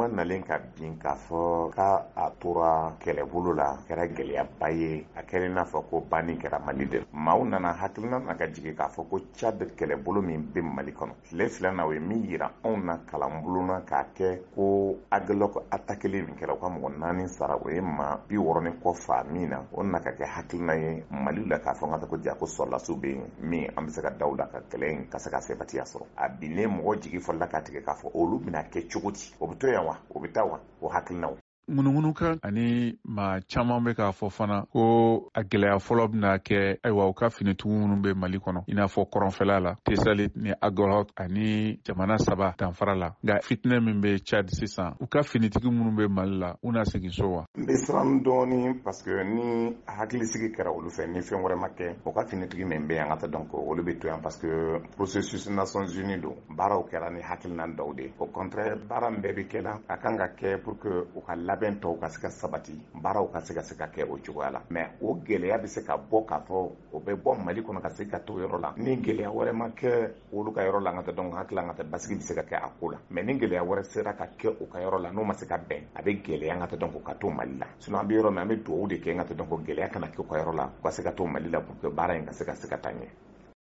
Gouvernement nalen ka bin k'a fɔ k'a a tora kɛlɛbolo la, kɛra gɛlɛyaba ye. A kɛra i n'a fɔ ko banni kɛra Mali de la. Maaw nana hakilina na ka jigin k'a fɔ ko Tchad kɛlɛbolo min bɛ Mali kɔnɔ tile 2 na, o ye min yira anw na kalanbulon na k'a kɛ ko Aguelhok attaqueli min kɛra, u ka mɔgɔ 4 sara, o ye maa 60 ni kɔ faa min na, o na ka kɛ hakilina ye Mali la k'a fɔ n ka taa ko ja ko sɔrɔlasiw bɛ yen min an bɛ se ka da u la ka kɛlɛ in ka se ka sebatiya sɔrɔ. A binnen, mɔgɔ jigi fɔlɔla ka tigɛ k'a fɔ olu bɛna kɛ cogo di, o bɛ to yan wa, o bɛ taa wa, o hakilinaw. Ŋunuŋunukan ani maa caman bɛ k'a fɔ fana ko a gɛlɛya fɔlɔ bɛna kɛ, ayiwa, u ka finitigiw minnu bɛ Mali kɔnɔ, i n'a fɔ kɔrɔnfɛla la, Tessalit ni Aguelhok ani jamana 3 danfara la. Nka fitinɛ min bɛ Tchad sisan, u ka finitigi minnu bɛ Mali la, u na segin so wa? N bɛ siran dɔɔni parce que ni hakilisigi kɛra olu fɛ, ni fɛn wɛrɛ ma kɛ, u ka finitigi min bɛ yan ka taa, donc olu bɛ to yan parce que processus Nations Unies don, baaraw kɛra ni hakilina dɔw de. Au contraire, baara min bɛɛ bɛ kɛ la, a kan ka kɛ pour que u ka labɛn tɔw ka se ka sabati, baaraw ka se ka se ka kɛ o cogoya la. Mais o gɛlɛya bɛ se ka bɔ k'a fɔ o bɛ bɔ Mali kɔnɔ ka se ka to yɔrɔ la, ni gɛlɛya wɛrɛ ma kɛ olu ka yɔrɔ la, an ka taa, donc hakili an ka taa basigi bɛ se ka kɛ a ko la. Mais ni gɛlɛya wɛrɛ sera ka kɛ u ka yɔrɔ la, n'o ma se ka bɛn, a bɛ gɛlɛya an ka taa, donc ka to Mali la. Sinon an bɛ yɔrɔ min, an bɛ dugawu de kɛ an ka taa, donc gɛlɛya kana kɛ u ka yɔrɔ la, u ka se ka to Mali la pour que baara in ka se ka se ka taa ɲɛ.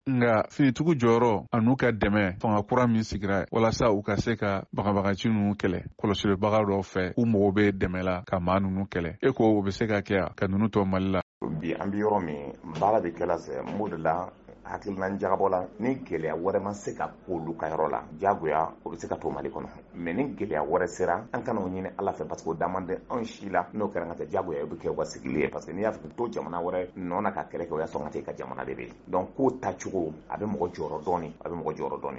Nka finitigiw jɔyɔrɔ an'u ka dɛmɛ, fanga kura min sigira walasa u ka se ka bagabagaci ninnu kɛlɛ, kɔlɔsilibaga dɔw fɛ, u mago bɛ dɛmɛ la ka maa ninnu kɛlɛ. E ko o bɛ se ka kɛ ka ninnu to Mali la? Bi an bɛ yɔrɔ min, baara bɛ kɛla sɛ n b'o de la hakilina jagabɔ la. Ni gɛlɛya wɛrɛ ma se ka k'olu ka yɔrɔ la, diyagoya o bɛ se ka to Mali kɔnɔ. Mais ni gɛlɛya wɛrɛ sera, an kana o ɲini Ala fɛ parce que o da man di anw si la. N'o kɛra, ka taa, diyagoya o bɛ kɛ u ka sigili ye parce que n'i y'a fɔ to jamana wɛrɛ nɔ na ka kɛlɛ kɛ, o y'a sɔrɔ ka taa i ka jamana de bɛ yen. Donc ko tacogo, a bɛ mɔgɔ jɔyɔrɔ dɔɔni, a bɛ mɔgɔ jɔyɔrɔ dɔɔni.